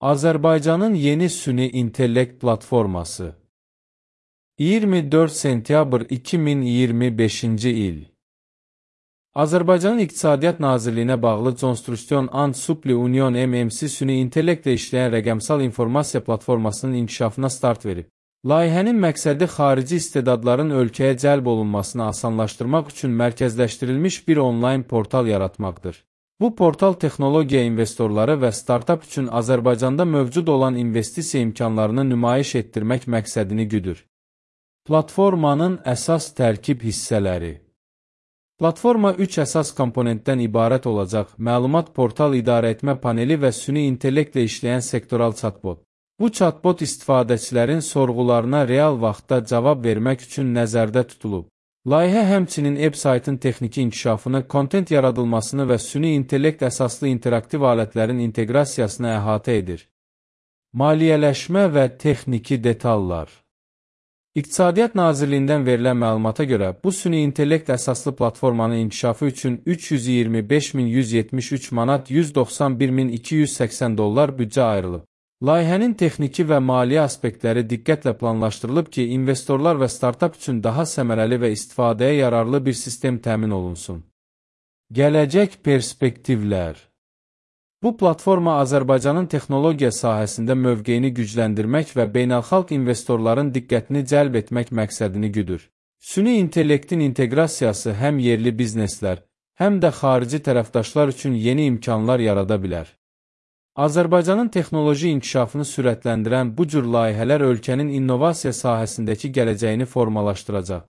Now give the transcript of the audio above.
Azərbaycanın yeni süni intellekt platforması 24 sentyabr 2025-ci il Azərbaycanın İqtisadiyyat Nazirliyinə bağlı Construction and Supply Union MMC süni intellektlə işləyən rəqəmsal informasiya platformasının inkişafına start verib. Layihənin məqsədi xarici istedadların ölkəyə cəlb olunmasını asanlaşdırmaq üçün mərkəzləşdirilmiş bir onlayn portal yaratmaqdır. Bu portal texnologiya investorları və startap üçün Azərbaycanda mövcud olan investisiya imkanlarını nümayiş etdirmək məqsədini güdür. Platformanın əsas tərkib hissələri Platforma 3 əsas komponentdən ibarət olacaq: məlumat portal idarəetmə paneli və süni intellektlə işləyən sektoral chatbot. Bu chatbot istifadəçilərin sorğularına real vaxtda cavab vermək üçün nəzərdə tutulub. Layihə həmçinin web-saytın texniki inkişafını, kontent yaradılmasını və süni intellekt əsaslı interaktiv alətlərin inteqrasiyasını əhatə edir. Maliyyələşmə və texniki detallar İqtisadiyyat Nazirliyindən verilən məlumata görə, bu süni intellekt əsaslı platformanın inkişafı üçün 325.173 manat 191.280 dollar büdcə ayrılıb. Layihənin texniki və maliyyə aspektləri diqqətlə planlaşdırılıb ki, investorlar və startap üçün daha səmərəli və istifadəyə yararlı bir sistem təmin olunsun. Gələcək perspektivlər Bu platforma Azərbaycanın texnologiya sahəsində mövqeyini gücləndirmək və beynəlxalq investorların diqqətini cəlb etmək məqsədini güdür. Süni intellektin inteqrasiyası həm yerli bizneslər, həm də xarici tərəfdaşlar üçün yeni imkanlar yarada bilər. Azərbaycanın texnoloji inkişafını sürətləndirən bu cür layihələr ölkənin innovasiya sahəsindəki gələcəyini formalaşdıracaq.